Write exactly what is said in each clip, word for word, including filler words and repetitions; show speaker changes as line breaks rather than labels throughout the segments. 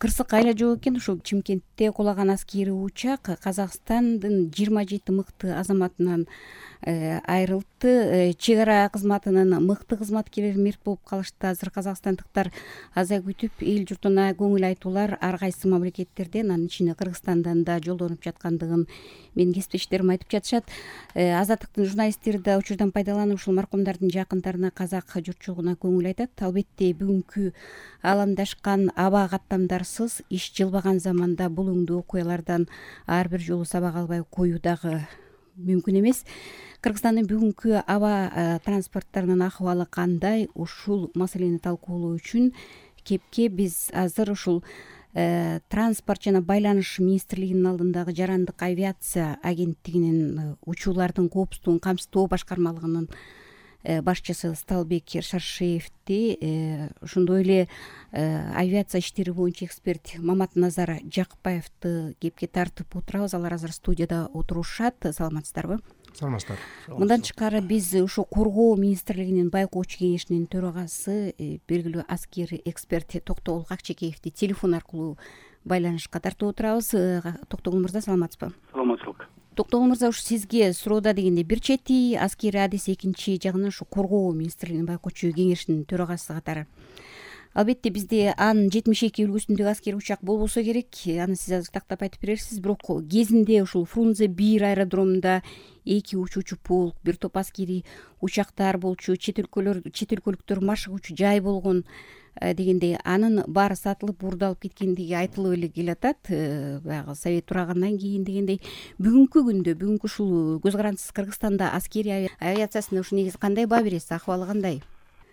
кырсык айла жок экен. Ушул Чымкентте кулаган аскерий учак Казакстандын жыйырма жети мыкты азаматынан айрылды. Чек ара кызматынын мыкты кызматкерлери мерт болуп калышты. Азыр казакстандыктар аза күтүп эл журтуна көңүл айтуулар ар кайсы мамлекеттерден, анын ичинде Кыргызстандан да жолдонуп жаткандыгын менин кесиптештерим айтып жатышат. Азаттыктын журналисттери да учурдан пайдаланып ушул маркумдардын жакындарына, казак журтчулугуна көңүл айтат. Албетте бүгүнкү ааламдашкан аба каттамдарсыз иш жылбаган заманда бул өңдүү окуялардан ар бир жолу сабак албай коюу дагы мүмкүн эмес. Кыргызстандын бүгүнкү аба транспорттарынын акыбалы кандай? Ушул маселени талкуулоо үчүн кепке биз азыр ушул транспорт жана байланыш министрлигинин алдындагы жарандык авиация агенттигинин учуулардын коопсуздугун камсыздоо башкармалыгынын башчысы Сталбек Шаршеевди, ошондой эле авиация иштери боюнча эксперт Маматназар Жакпаевди кепке тартып отурабыз. Алар азыр студияда отурушат. Саламатсыздарбы?
Саламатсыздар.
Мындан тышкары биз ушул коргоо министрлигинин байкоочу кеңешинин төрагасы, белгилүү аскери эксперт Токтогул Акчекеевди телефон аркылуу байланышка тартып отурабыз. Токтогул мырза, саламатсызбы?
Саламатчылык.
Токтогул мырза, ушу сизге суроода дегенде бир чети аскери адис, экинчи жагынан ушу коргоо министрлигинин байкоочу кеңешинин төрагасы катары. Албетте бизде Ан жетимиш эки үлгүсүндөгү аскери учак болбосо керек. Аны сиз азыр тактап айтып берерсиз. Бирок кезинде ушул Фрунзе бир аэродромунда эки учуучу полк, бир топ аскери учактар болчу, чет өлкөлөр, чет өлкөлүктөр машыгуучу жай болгон дегендей, анын баары сатылып, бурдалып кеткендиги айтылып эле келатат. Баягы Совет турагандан кийин дегендей, бүгүнкү күндө, бүгүнкү ушул көз карандысыз Кыргызстанда аскери авиациясына ушу негизи кандай баа бересиз? Акыбалы кандай?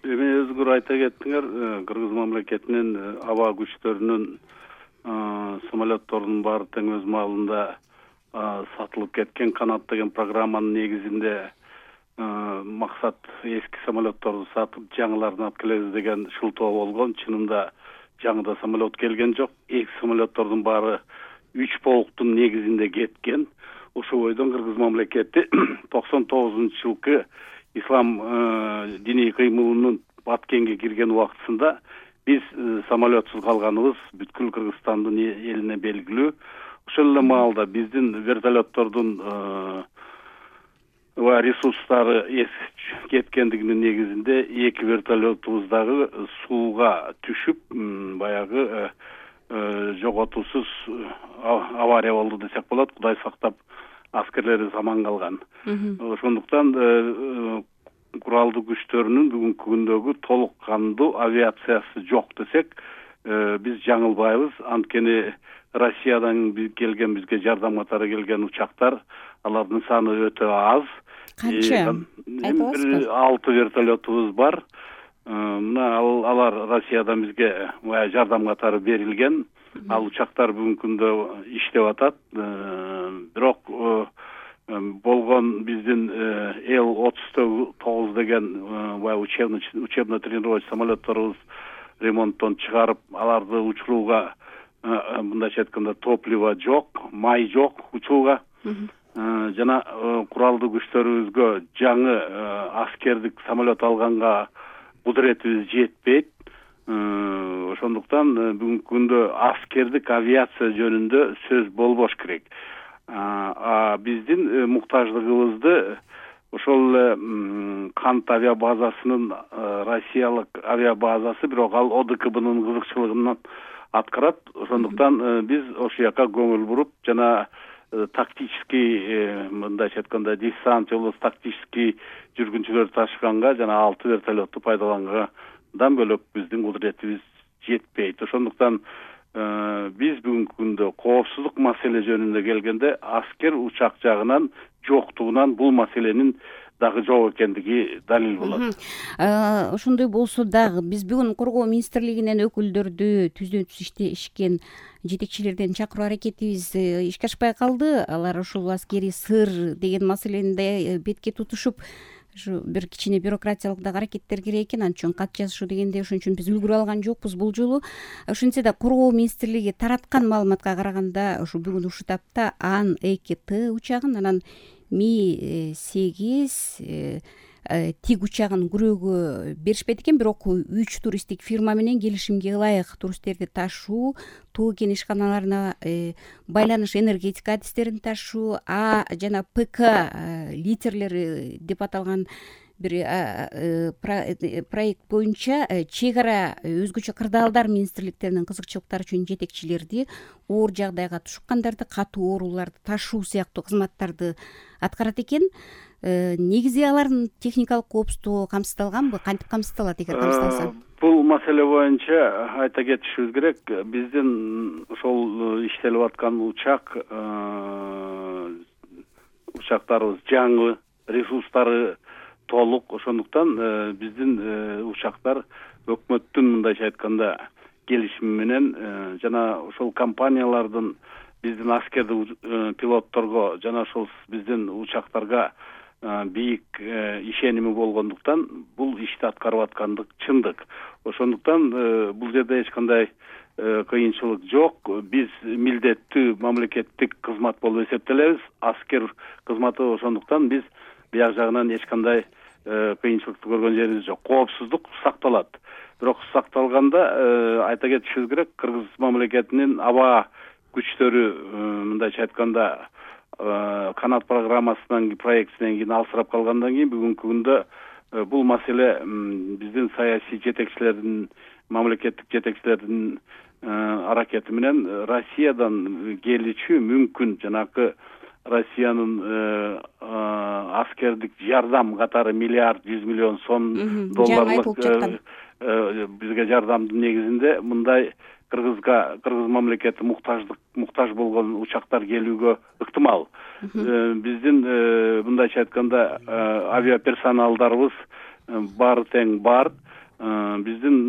Эми өзгөр айта кеттиңер, Кыргыз мамлекетинин аба күчтөрүнүн самолеттордун баары тең өз маалында сатылып кеткен. Канат деген программанын негизинде максат эски самолетторду сатып жаңыларын алып келебиз деген шылтоо болгон. Чынында жаңыда самолет келген жок. Эки самолеттордун баары үч полктун негизинде кеткен. Ошол бойдон Кыргыз мамлекети токсон тогузунчу жылкы ислам диний кыймылынын баткенге кирген убактысында биз самолетсуз калганыбыз бүткүл Кыргызстандын элине белгилүү. Ошол эле маалда биздин вертолеттордун ресурстары кеткендигинин негизинде эки вертолетубуз дагы сууга түшүп, баягы жоготуусуз авария болду десек болот. Кудай сактап, аскерлерибиз аман калган. Ошондуктан куралдуу күчтөрүнүн бүгүнкү күндөгү толук кандуу авиациясы жок десек биз жаңылбайбыз. Анткени Россиядан келген, бизге жардам катары келген учактар, алардын саны өтө аз.
Канча?
Бир алты вертолетубуз бар. Мына алар Россиядан бизге жардам катары берилген. Ал учактар бүгүнкү күндө иштеп атат. Бирок болгон биздин эл отуз тогуз деген учебно-тренировочный самолетторубуз ремонттон чыгарып, аларды учурууга, мындайча айтканда, топливо жок, май жок учууга. Жана куралдуу күчтөрүбүзгө жаңы аскердик самолет алганга кудуретибиз жетпейт. Ошондуктан бүгүнкү күндө аскердик авиация жөнүндө сөз болбош керек. Биздин муктаждыгыбызды ошол эле Кант авиабазасынын, Россиялык авиабазасы, бирок ал О Д К Б'нын кызыкчылыгынан аткарат. Ошондуктан биз ошол жака көңүл буруп, жана тактический, мындайча айтканда, десант жолу тактический жүргүнчүлөр ташыганга жана алты вертолетту пайдалангандан бөлөк биздин кудуретибиз жетпейт. Ошондуктан биз бүгүнкү күндө коопсуздук маселе жөнүндө келгенде аскер учак жагынан жоктугунан бул маселенин дагы жок экендиги далил болот.
Ошондой болсо дагы биз бүгүн коргоо министрлигинен өкүлдөрдү түздөн түз иштешкен жетекчилерден чакыруу аракетибиз ишке ашпай калды. Алар ушул аскери сыр деген маселени бетке тутушуп, ушу бир кичине бюрократиялык дагы аракеттер керек экен, анча үчүн кат жазышуу дегенде ошон үчүн биз үлгүрө алган жокпуз бул жолу. Ошентсе да коргоо министрлиги тараткан маалыматка караганда, ушу бүгүн ушул тапта Ан эки Т учагын, анан Ми сегиз тик учагын күрөөгө беришпейт экен, бирок үч туристтик фирма менен келишимге ылайык туристтерди ташуу, туу кен ишканаларына байланыш энергетика адистерин ташуу, А жана П К литерлери деп аталган бир проект боюнча чек ара өзгөчө кырдаалдар министрликтеринин кызыкчылыктары үчүн жетекчилерди, оор жагдайга тушккандарды, катуу ооруларды ташуу сыяктуу кызматтарды аткарат экен. Негизи алардын техникалык коопсуздугу камсыздалганбы? Кантип камсыздалат эгер камсыздалса?
Бул маселе боюнча айта кетишибиз керек, биздин ошол иштелип аткан учак учактарыбыз жаңы, ресурстары толук, ошондуктан биздин учактар өкмөттүн мындайча айтканда келишими менен жана ошол компаниялардын биздин аскердик пилотторго жана ошол биздин учактарга бийик ишеними болгондуктан бул ишти аткарып аткандык чындык. Ошондуктан бул жерде эч кандай кыйынчылык жок. Биз милдеттүү мамлекеттик кызмат болуп эсептелебиз, аскер кызматы. Ошондуктан биз бияк жагынан эч кандай кыйынчылыкты көргөн жерибиз жок. Коопсуздук сакталат. Бирок сакталганда айта кетишибиз керек, Кыргыз мамлекетинин аба күчтөрү мындайча айтканда канат программасынан проектинен кийин алсырап калгандан кийин бүгүнкү күндө бул маселе биздин саясий жетекчилердин, мамлекеттик жетекчилердин аракети менен Россиядан келичү мүмкүн жанакы Россиянын аскердик жардам катары миллиард жүз миллион сом долларлык бизге жардамдын негизинде мындай Кыргызга, Кыргыз мамлекети муктаждык муктаж болгон учактар келүүгө ыктымал. Биздин мындайча айтканда авиаперсоналдарыбыз баары тең бар. Биздин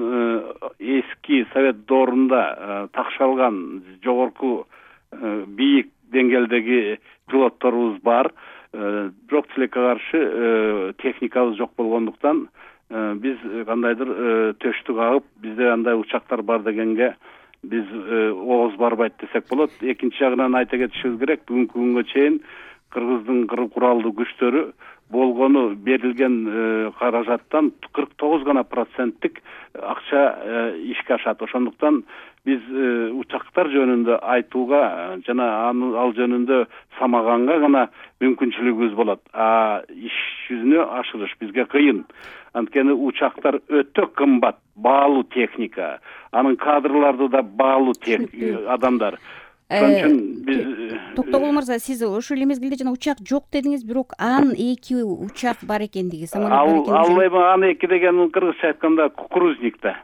эски совет доорунда такшалган жогорку бийик деңгээлдеги пилотторубуз бар. Бирок тилекке каршы техникабыз жок болгондуктан биз кандайдыр төштүк агып, бизде андай учактар бар дегенге биз ооз барбайт десек болот. Экинчи жагынан айта кетишибиз керек, бүгүнкү күнгө чейин Кыргыздын куралдуу күчтөрү болгону берилген каражаттан кырк тогуз гана проценттик акча ишке ашат. Ошондуктан биз учактар жөнүндө айтууга жана ал жөнүндө самаганга гана мүмкүнчүлүгүбүз болот. А иш жүзүнө ашырыш бизге кыйын. Анткени учактар өтө кымбат, баалуу техника, анын кадрлары да баалуу адамдар. Ошон үчүн биз
Токтогул мырза, сиз ошол эле мезгилде жана учак жок дедиңиз, бирок анын эки учак бар экендиги, самолет бар экендиги.
Ал эми анын эки деген кыргызча айтканда кукурузник да.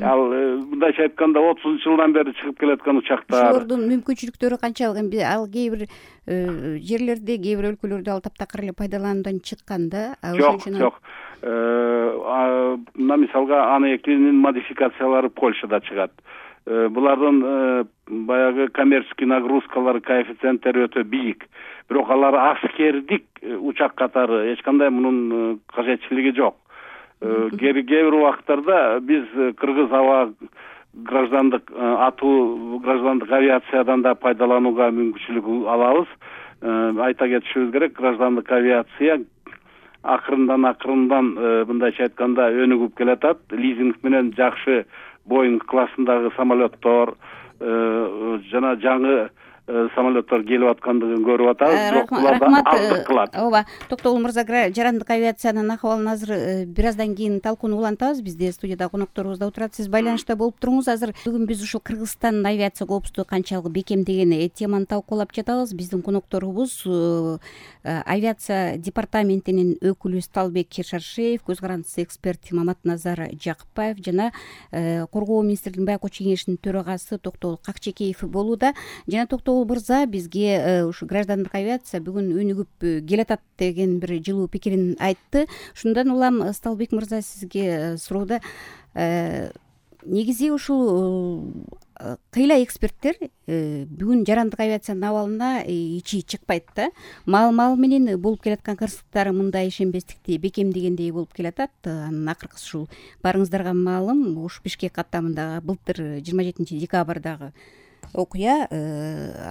Ал мындайча айтканда отузунчу жылдан бери чыгып келаткан учактар.
Ошолордун мүмкүнчүлүктөрү канчалык? Эми ал кээ бир жерлерде, кээ бир өлкөлөрдө ал таптакыр эле пайдалануудан чыккан да.
Жок, жок. Мына мисалга аны экинин модификациялары Польшада чыгат. Булардын баягы коммерческий нагрузкалары, коэффициенттери өтө бийик. Бирок алар аскердик учак катары эч кандай мунун кажетчилиги жок. Кээ бир убакыттарда биз кыргыз аба граждандык атуу граждандык авиациядан да пайдаланууга мүмкүнчүлүк алабыз. Айта кетишибиз керек, граждандык авиация акырындан акырындан мындайча айтканда өнүгүп келатат. Лизинг менен жакшы Боинг классындагы самолеттор жана жаңы самолеттор келип аткандыгын көрүп атабыз. Бирок буларда аздык кылат.
Ооба, Токтогул мырза, жарандык авиациянын акыбалын азыр бир аздан кийин талкууну улантабыз. Бизде студияда конокторубуз да отурат. Сиз байланышта болуп туруңуз. Азыр бүгүн биз ушул Кыргызстандын авиация коопсуздугу канчалык бекем деген теманы талкуулап жатабыз. Биздин конокторубуз авиация департаментинин өкүлү Сталбек Шаршеев, көз карандысы эксперт Маматназар Жакыпбаев жана Коргоо министрлигинин байкоо кеңешинин төрагасы Токтогул Какчекеев болууда. Жана Токтогул мырза бизге ушу граждандык авиация бүгүн өнүгүп келатат деген бир жылуу пикирин айтты. Ушундан улам Сталбек мырза, сизге суроодо негизи ушул кыйла эксперттер бүгүн жарандык авиациянын абалына ичи чыкпайт да. Мал-мал менен болуп келаткан кырсыктар мындай ишенбестикти бекемдегендей болуп келатат. Анын акыркысы ушул барыңыздарга маалым, ушу Бишкек каттамындагы былтыр жыйырма жетинчи декабрдагы окуя.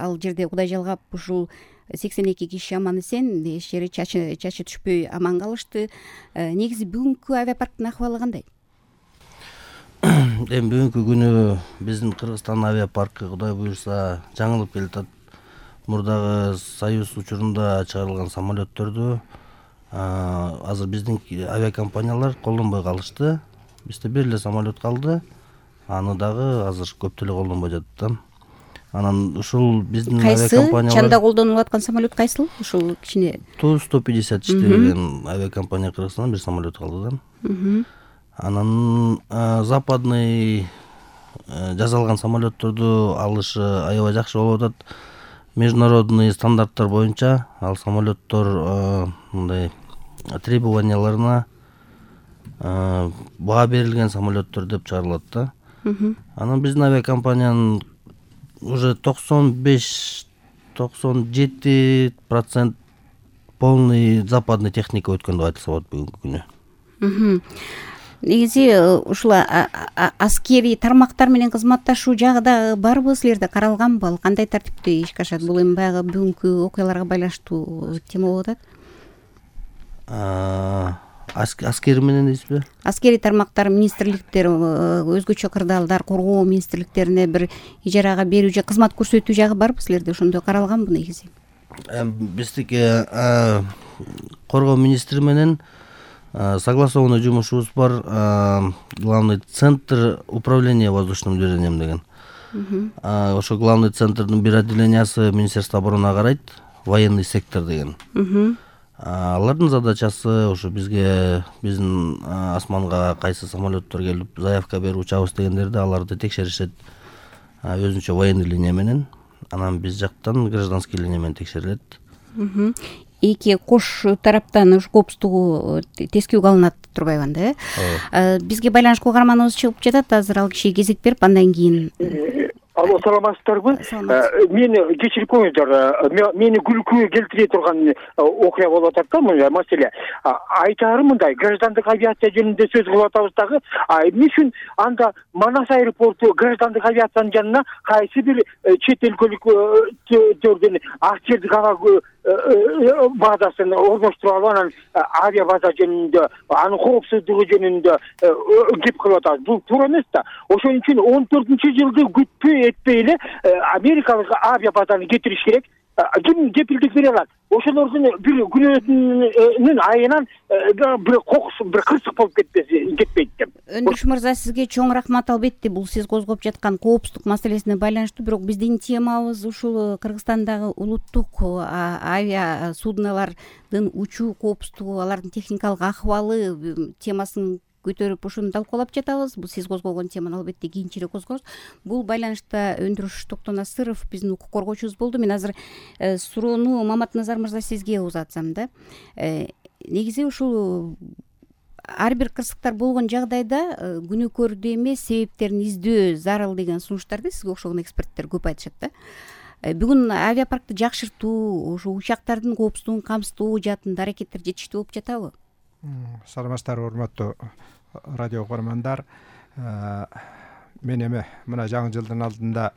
Ал жерде Кудай жалгап ушул сексен эки киши аман эсен, эч жери чачы чачы түшпөй аман калышты. Негизи бүгүнкү авиапарктын акыбалы кандай?
Эми бүгүнкү күнү биздин Кыргызстан авиапаркы Кудай буюрса жаңылып келатат. Мурдагы Союз учурунда чыгарылган самолеттердү азыр биздин авиакомпаниялар колдонбой калышты. Бизде бир эле самолет калды. Аны дагы азыр көп деле колдонбой жатат да. Анан ушул биздин авиакомпаниялар
чанда колдонулуп аткан самолет кайсыл? Ушул кичине
Ту сто пятьдесят иштеген авиакомпания Кыргызстандан бир самолет калды да. Анан западный жасалган самолеттердү алышы аябай жакшы болуп атат. Международный стандарттар боюнча ал самолеттор мындай требованияларына баа берилген самолеттер деп чыгарылат да. Анан биздин авиакомпаниянын уже токсон беш токсон жети процент полный западный техника өткөн деп айтылса болот бүгүнкү күнү.
Негизи ушул аскерий тармактар менен кызматташуу жагы да барбы, силерде каралганбы? Ал кандай тартипте ишке ашат? Бул эми баягы бүгүнкү окуяларга байланыштуу тема болуп атат.
Аскери менен дейсизби?
Аскерий тармактар, министрликтер, өзгөчө кырдаалдар, коргоо министрликтерине бир ижарага берүү же кызмат көрсөтүү жагы барбы силерде? Ошондой каралганбы негизи?
Биздики коргоо министри менен согласованный жумушубуз бар. Главный центр управления воздушным движением деген. Ошо главный центрдин бир отделениясы Министерство обороны карайт, военный сектор деген. Алардын задачасы ошо бизге биздин асманга кайсы самолеттер келип заявка берип учабыз дегендерди аларды текшеришет өзүнчө военный линия менен. Анан биз жактан гражданский линия менен текшерилет.
Эки кош тараптан ушу коопсуздугу тескөөгө алынат турбайбы анда, э? Бизге байланышка каарманыбыз чыгып жатат азыр, ал кишиге кезек берип андан кийин.
Алло, саламатсыздарбы? Мени кечирип коюңуздар. Мени күлкүгө келтире турган окуя болуп атат да, мына маселе. Айтарым мындай, граждандык авиация жөнүндө сөз кылып атабыз дагы. Эмне үчүн анда Манас аэропорту граждандык авиациянын жанына кайсы бир чет өлкөлүктөрдүн акчердик ага базасын орноштуруп алып, анан авиа база жөнүндө, анын коопсуздугу жөнүндө кеп кылып атабыз. Бул туура эмес да. Ошон үчүн он төртүнчү жылды күтпөй этпей эле америкалык авиа базаны кетириш керек. Ким кепилдик бере алат? Ошолордун бир күнөөсүнүн айынан бир кокус, бир кырсык болуп кетпеси кетпейт деп.
Өндүрүш мырза, сизге чоң рахмат. Албетте бул сиз козгоп жаткан коопсуздук маселесине байланыштуу, бирок биздин темабыз ушул Кыргызстандагы улуттук авиа судналардын учуу коопсуздугу, алардын техникалык акыбалы темасын көтөрүп ошону талкуулап жатабыз. Бул сиз козгогон теманы албетте кийинчерээк козгоебуз. Бул байланышта өндүрүш Токтонасыров биздин укук коргоочубуз болду. Мен азыр суроону Маматназар мырза сизге узатсам да. Негизи ушул ар бир кырсыктар болгон жагдайда күнөөкөрдү эмес, себептерин издөө зарыл деген сунуштарды сизге окшогон эксперттер көп айтышат да. Бүгүн авиапаркты жакшыртуу, ошо учактардын коопсуздугун камсыздоо жаатында аракеттер жетиштүү болуп жатабы?
Саламатсыздарбы, урматтуу радио окурмандар. Мен эми мына жаңы жылдын алдында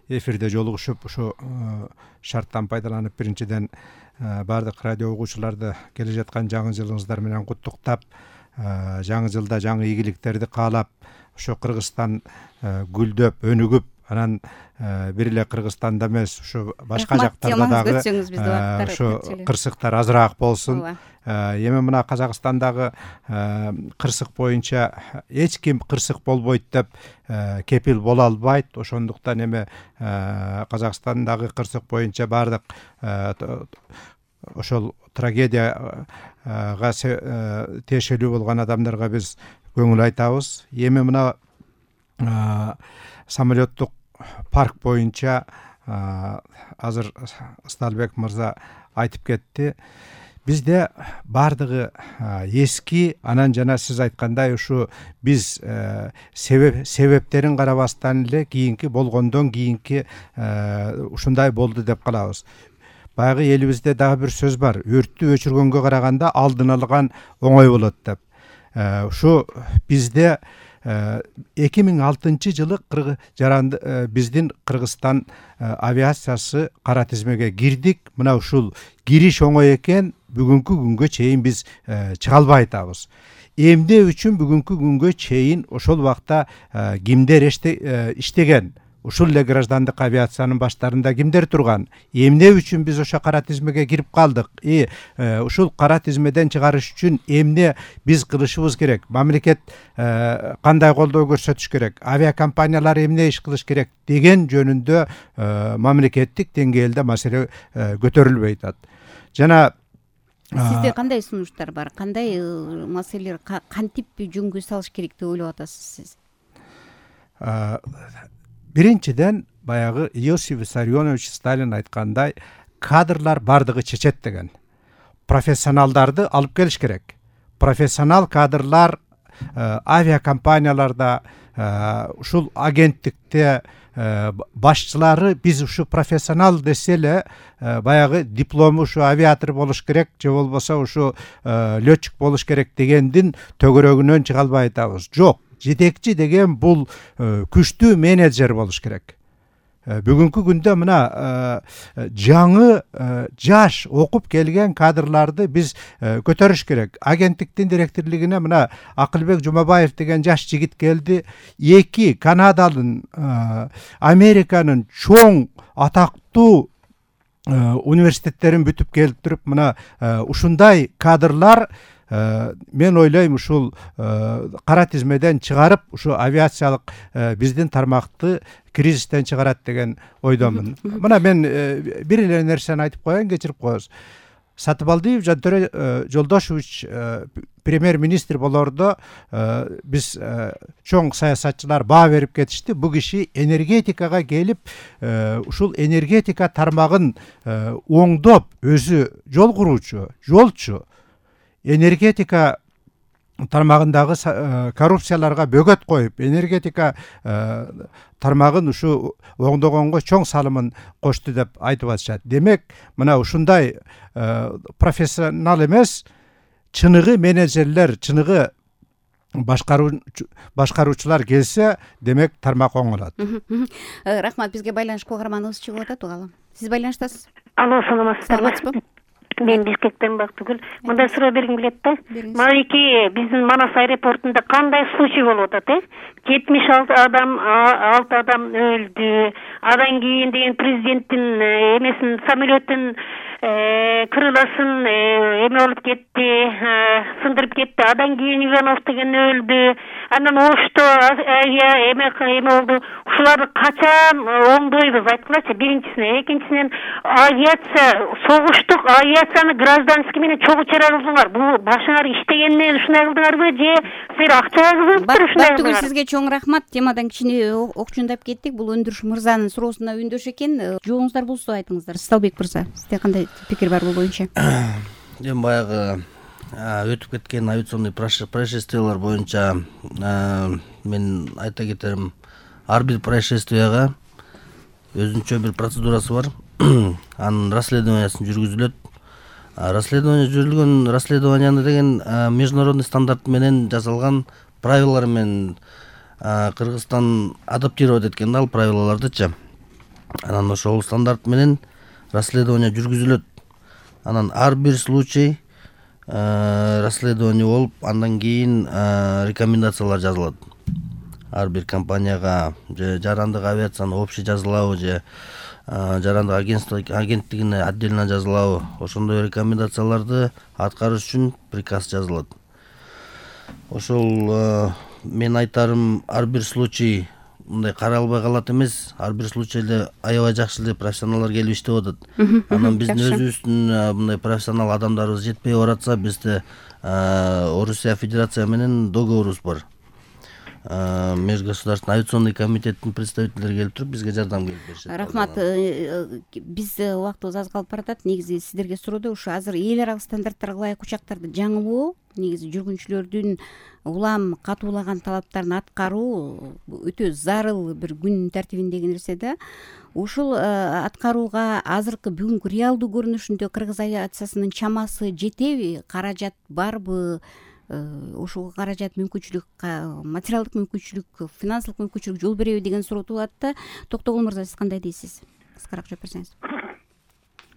эфирде жолугушуп, ушу шарттан пайдаланып биринчиден баардык радио угуучуларды келе жаткан жаңы жылыңыздар менен куттуктап, жаңы жылда жаңы ийгиликтерди каалап, ушу Кыргызстан гүлдөп, өнүгүп, анан бир эле Кыргызстанда эмес, ушу башка жактарда дагы ушу кырсыктар азыраак болсун. Эми мына Казакстандагы кырсык боюнча эч ким кырсык болбойт деп кепил боло албайт. Ошондуктан эми Казакстандагы кырсык боюнча баардык ошол трагедияга тиешелүү болгон адамдарга биз көңүл айтабыз. Эми мына самолеттук парк боюнча азыр Сталбек мырза айтып кетти. Бизде бардыгы эски, анан жана сиз айткандай ушу биз себеп себептерин карабастан эле кийинки болгондон кийинки ушундай болду деп калабыз. Баягы элибизде дагы бир сөз бар. Өрттү өчүргөнгө караганда алдын алган оңой болот деп. Ушу бизде эки миң алтынчы жылы жаранды биздин Кыргызстан авиациясы кара тизмеге кирдик. Мына ушул кириш оңой экен, бүгүнкү күнгө чейин биз чыга албай атабыз. Эмне үчүн бүгүнкү күнгө чейин ошол убакта кимдер иштеген? Ушул эле граждандык авиациянын баштарында кимдер турган? Эмне үчүн биз ошо кара тизмеге кирип калдык? И ушул кара тизмеден чыгарыш үчүн эмне биз кылышыбыз керек? Мамлекет кандай колдоо көрсөтүш керек? Авиакомпаниялар эмне иш кылыш керек деген жөнүндө мамлекеттик деңгээлде маселе көтөрүлбөй атат. Жана
сизде кандай сунуштар бар? Кандай маселелер кантип жөнгө салыш керек деп ойлоп атасыз сиз?
Биринчиден, баягы Иосиф Виссарионович Сталин айткандай, кадрлар бардыгы чечет деген. Профессионалдарды алып келиш керек. Профессионал кадрлар авиакомпанияларда, ушул агенттикте башчылары биз ушу профессионал десе эле баягы диплому ушу авиатор болуш керек же болбосо ушу летчик болуш керек дегендин төгөрөгүнөн чыга албай атабыз. Жок, жетекчи деген бул күчтүү менеджер болуш керек. Бүгүнкү күндө мына жаңы жаш окуп келген кадрларды биз көтөрүш керек. Агенттиктин директорлугуна мына Акылбек Жумабаев деген жаш жигит келди. Эки Канадалын, Американын чоң атактуу университеттерин бүтүп келтирип, мына ушундай кадрлар мен ойлойм ушул кара тизмеден чыгарып, ушу авиациялык биздин тармакты кризистен чыгарат деген ойдомун. Мына мен бир эле нерсени айтып коеюн, кечирип коебуз. Сатыбалдиев Жантөре Жолдошевич премьер-министр болоордо биз чоң саясатчылар баа берип кетишти. Бул киши энергетикага келип, ушул энергетика тармагын оңдоп, өзү жол куруучу, жолчу, энергетика тармагындагы коррупцияларга бөгөт коюп, энергетика тармагын ушу оңдогонго чоң салымын кошту деп айтып атышат. Демек, мына ушундай профессионал эмес, чыныгы менеджерлер, чыныгы башкаруучулар келсе, демек тармак оңолот.
Рахмат, бизге байланыш кугарманыбыз чыгып атат. Угалы. Сиз байланыштасыз?
Алло, саламатсыздарбы? Мен Бишкектен Бактыгүл. Мындай суроо бергим келет да. Манайки биздин Манас аэропортунда кандай случай болуп атат, э? жетимиш алты адам, алты адам өлдү. Адан кийин деген президенттин эмесин, самолеттин крыласын эме болуп кетти, сындырып кетти. Адан кийин Иванов деген өлдү. Анан Ошто эме эме болду. Ушуларды качан оңдойбуз айткылачы? Биринчисинен, экинчисинен авиация, согуштук авиацияны гражданский менен чогуу чыгарылдыңар. Бул башыңар иштегенден ушундай кылдыңарбы же силер акча кызып ушундай
кылдыңар? Сизге чоң рахмат. Темадан кичине окчундап кеттик. Бул Өндүрүш мырзанын суроосуна үндөш экен. Жоогуңуздар болсо айтыңыздар. Сталбек мырза, сизде кандай пикир бар бул боюнча?
Эми баягы өтүп кеткен авиационный происшествиялар боюнча мен айта кетерим, ар бир происшествияга өзүнчө бир процедурасы бар. Анын расследованиясын жүргүзүлөт. Расследование жүргүзүлгөн расследованияны деген международный стандарт менен жасалган правилалар менен Кыргызстан адаптировать эткен, ал правилалардычы. Анан ошол стандарт менен расследование жүргүзүлөт. Анан ар бир случай расследование болуп, андан кийин рекомендациялар жазылат. Ар бир компанияга же жарандык авиацияны общий жазылабы же жарандык агентство агенттигине отдельно жазылабы, ошондой рекомендацияларды аткарыш үчүн приказ жазылат. Ошол мен айтарым, ар бир случай мындай каралбай калат эмес, ар бир случайда аябай жакшы эле профессионалдар келип иштеп атат. Анан биздин өзүбүздүн мындай профессионал адамдарыбыз жетпей баратса, бизде Орусия Федерация менен договорубуз бар. Межгосударственный авиационный комитеттин представителдери келип туруп бизге жардам келип беришет.
Рахмат. Биз убактыбыз аз калып баратат. Негизи сиздерге суроодо ушу азыр эл аралык стандарттарга ылайык учактарды жаңылоо, негизи жүргүнчүлөрдүн улам катуулаган талаптарын аткаруу өтө зарыл бир күн тартибиндеги нерсе да. Ушул аткарууга азыркы бүгүнкү реалдуу көрүнүшүндө Кыргыз авиациясынын чамасы жетеби, каражат барбы? ушул каражат мүмкүнчүлүк, материалдык мүмкүнчүлүк, финансылык мүмкүнчүлүк жол береби деген суроо туулат да. Токтогул мырза, сиз кандай дейсиз? Кыскараак жооп берсеңиз.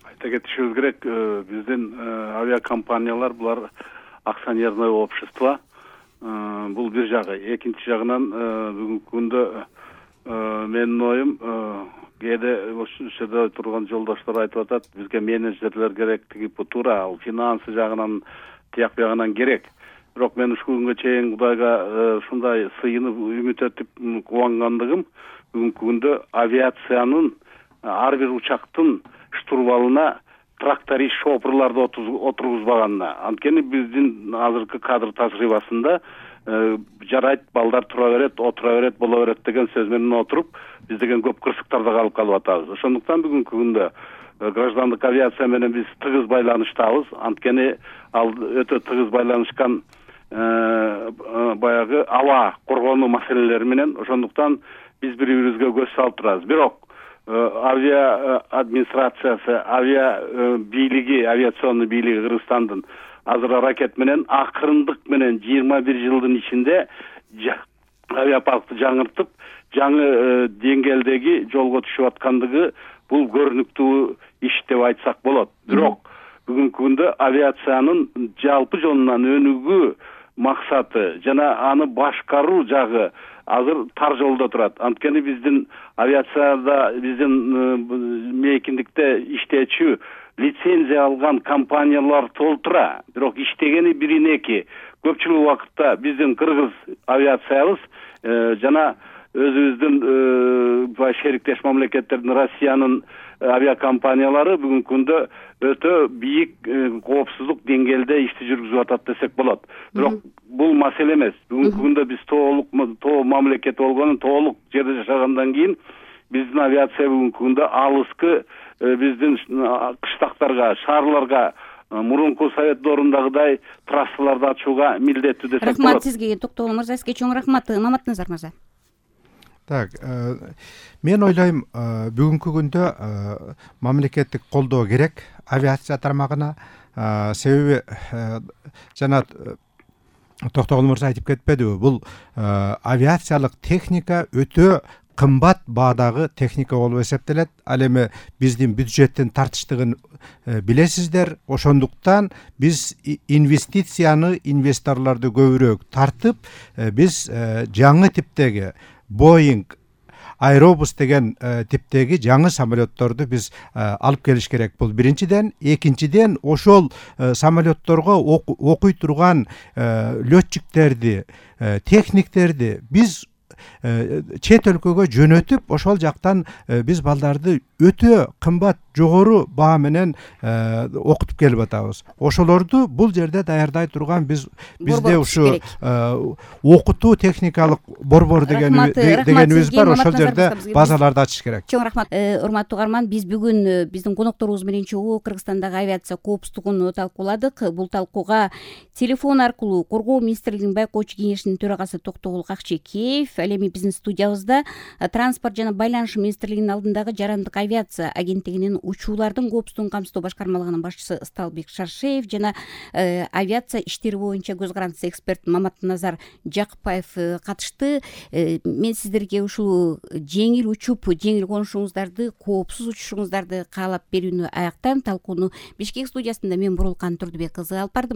Айта кетишибиз керек, биздин авиакомпаниялар булар акционерное общество. Бул бир жагы. Экинчи жагынан бүгүнкү күндө менин оюм, кээде ошол жерде турган жолдоштор айтып атат, бизге менеджерлер керек, тиги туура, ал финансы жагынан, тияк бягынан керек. Бирок мен ушул күнгө чейин Кудайга ушундай сыйынып, үмүт этип кубангандыгым, бүгүнкү күндө авиациянын ар бир учактын штурвалына тракторист шопурларды отургузбаганына. Анткени биздин азыркы кадр тажрыйбасында жарайт, балдар тура берет, отура берет, боло берет деген сөз менен отуруп, биз деген көп кырсыктарда калып калып атабыз. Ошондуктан бүгүнкү күндө граждандык авиация менен биз тыгыз байланыштабыз. Анткени ал өтө тыгыз байланышкан баягы аба коргонуу маселелери менен. Ошондуктан биз бири-бирибизге көз салып турабыз. Бирок авиа администрациясы, авиа бийлиги, авиационный бийлиги Кыргызстандын азыр аракет менен акырындык менен жыйырма бир жылдын ичинде авиапаркты жаңыртып, жаңы деңгээлдеги жолго түшүп аткандыгы бул көрүнүктүү иш деп айтсак болот. Бирок бүгүнкү күндө авиациянын жалпы жонунан өнүгүү максаты жана аны башкаруу жагы азыр тар жолдо турат. Анткени биздин авиацияда, биздин мейкиндикте иштечү, лицензия алган компаниялар толтура. Бирок иштегени бирин эки. Көпчүлүк убакытта биздин кыргыз авиациябыз жана өзүбүздүн шериктеш мамлекеттердин, Россиянын авиакомпаниялары бүгүнкү күндө өтө бийик коопсуздук деңгээлде ишти жүргүзүп атат десек болот. Бирок бул маселе эмес. Бүгүнкү күндө биз толук тоо мамлекет болгону, толук жерде жашагандан кийин биздин авиация бүгүнкү күндө алыскы биздин кыштактарга, шаарларга мурунку совет доорундагыдай трассаларды ачууга милдеттүү десек болот.
Рахмат сизге, Токтогул мырза, сизге чоң рахмат. Маматназар мырза.
Так, мен ойлойм, бүгүнкү күндө мамлекеттик колдоо керек авиация тармагына. Себеби жана Токтогул мырза айтып кетпедиби, бул авиациялык техника өтө кымбат баадагы техника болуп эсептелет. Ал эми биздин бюджеттин тартыштыгын билесиздер. Ошондуктан биз инвестицияны, инвесторлорду көбүрөөк тартып, биз жаңы типтеги Boeing Aerobus деген типтеги жаңы самолетторду биз алып келиш керек. Бул биринчиден. Экинчиден, ошол самолетторго окуй турган летчиктерди, техниктерди биз чет өлкөгө жөнөтүп, ошол жактан биз балдарды өтө кымбат, жогору баа менен окутуп келип атабыз. Ошолорду бул жерде даярдай турган биз бизде ушу окутуу техникалык борбор деген дегенибиз бар. Ошол жерде базаларды ачыш керек.
Чоң рахмат. Урматтуу угарман, биз бүгүн биздин конокторубуз менен чогуу Кыргызстандагы авиация коопсуздугун талкууладык. Бул талкууга телефон аркылуу Коргоо министрлигинин байкоочу кеңешинин төрагасы Токтогул Какчекеев, ал эми биздин студиябызда транспорт жана байланыш министрлигинин алдындагы жарандык авиация агенттигинин учуулардын коопсуздугун камсыздоо башкармалыгынын башчысы Ысталбек Шаршеев жана авиация иштери боюнча көз карандысы эксперт Маматназар Жакыпбаев катышты. Мен сиздерге ушул жеңил учуп, жеңил конушуңуздарды, коопсуз учушуңуздарды каалап берүүнү аяктайм. Талкууну Бишкек студиясында мен Бурулкан Турдубек кызы алып бардым.